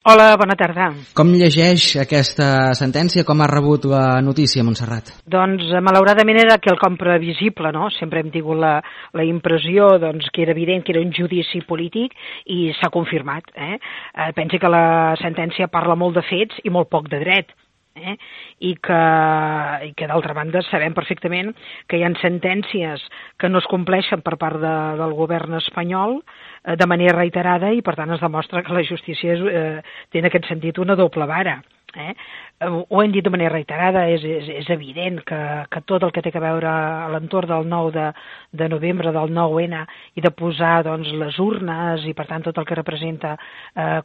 Hola, bona tarda. Com llegeix aquesta sentència? Com ha rebut la notícia, Montserrat? Doncs, malauradament era quelcom previsible, no? Sempre hem tingut la impressió que era evident que era un judici polític i s'ha confirmat. Pensi que la sentència parla molt de fets i molt poc de dret. I que d'altra banda sabem perfectament que hi ha sentències que no es compleixen per part del govern espanyol de manera reiterada i per tant es demostra que la justícia té en aquest sentit una doble vara. Ho hem dit de manera reiterada, és evident que tot el que té a veure a l'entorn del 9 de novembre, del 9-N, i de posar les urnes i per tant tot el que representa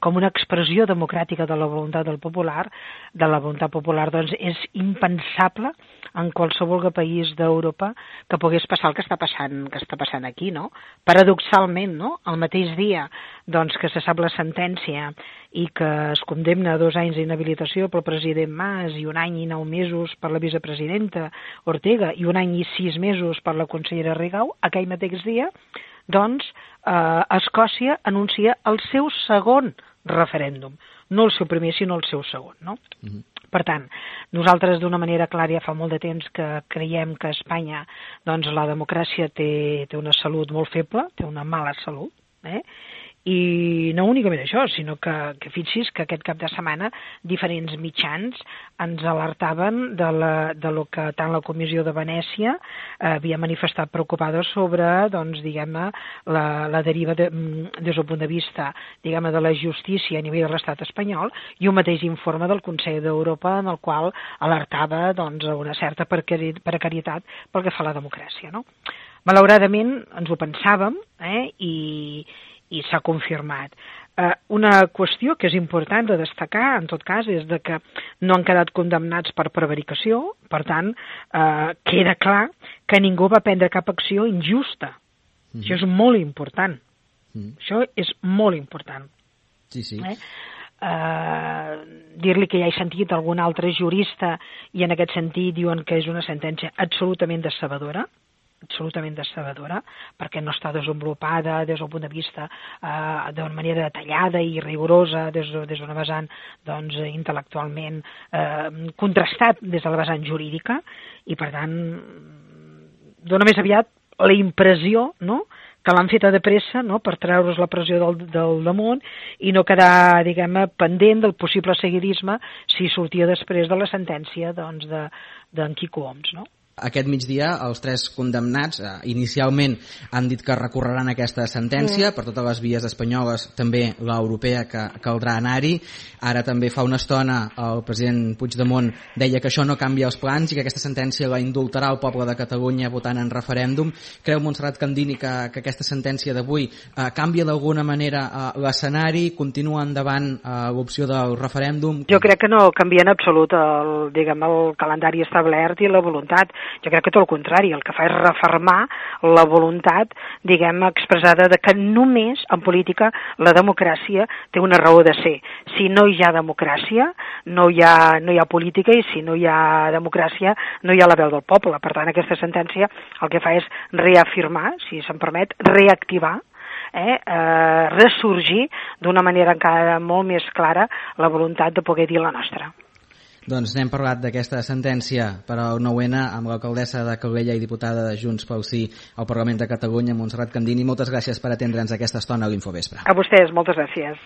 com una expressió democràtica de la voluntat popular, és impensable en qualsevol país d'Europa que pogués passar el que està passant aquí, no? Paradoxalment, no? El mateix dia que se sap la sentència i que es condemna a 2 anys d'inhabilitació pel president Mas i 1 any i 9 mesos per la vicepresidenta Ortega i 1 any i 6 mesos per la consellera Rigau, aquell mateix dia, Escòcia anuncia el seu segon referèndum. No el seu primer, sinó el seu segon, no? Per tant, nosaltres d'una manera clara ja fa molt de temps que creiem que a Espanya la democràcia té una salut molt feble, té una mala salut, i no únicament això, sinó que fixi's que aquest cap de setmana diferents mitjans ens alertaven de lo que tant la Comissió de Venècia havia manifestat preocupada sobre, diguem-ne, la deriva des del punt de vista, diguem-ne, de la justícia a nivell de l'estat espanyol, i un mateix informe del Consell d'Europa en el qual alertava una certa precarietat pel que fa a la democràcia, no? Malauradament ens ho pensàvem, i s'ha confirmat. Una qüestió que és important de destacar, en tot cas, és que no han quedat condemnats per prevaricació, per tant, queda clar que ningú va prendre cap acció injusta. Això és molt important. Això és molt important. Sí. Dir-li que ja he sentit algun altre jurista i en aquest sentit diuen que és una sentència absolutament decebedora, perquè no està desenvolupada des del punt de vista d'una manera detallada i rigorosa des d'una vessant intel·lectualment contrastat des de la vessant jurídica, i per tant dona més aviat la impressió, no?, que l'han feta de pressa, no?, per treure's la pressió del damunt i no quedar, diguem-ne, pendent del possible seguidisme si sortia després de la sentència d'en Quico Homs, no? Aquest migdia els 3 condemnats inicialment han dit que recorreran aquesta sentència per totes les vies espanyoles, també l'europea, que caldrà anar-hi. Ara també fa una estona el president Puigdemont deia que això no canvia els plans i que aquesta sentència la indultarà el poble de Catalunya votant en referèndum. Creu Montserrat Candini que aquesta sentència d'avui canvia d'alguna manera l'escenari, continua endavant l'opció del referèndum? Jo crec que no canvia en absolut el calendari establert i la voluntat. Jo crec que tot el contrari, el que fa és refermar la voluntat, diguem, expressada de que només en política la democràcia té una raó de ser. Si no hi ha democràcia, no hi ha política, i si no hi ha democràcia, no hi ha la veu del poble. Per tant, aquesta sentència el que fa és reafirmar, si se'm permet, reactivar, ressorgir d'una manera encara molt més clara la voluntat de poder dir la nostra. Doncs n'hem parlat d'aquesta sentència per al 9-N amb l'alcaldessa de Calella i diputada de Junts pel Sí al Parlament de Catalunya, Montserrat Candini. Moltes gràcies per atendre'ns aquesta estona a l'Infovespre. A vostès, moltes gràcies.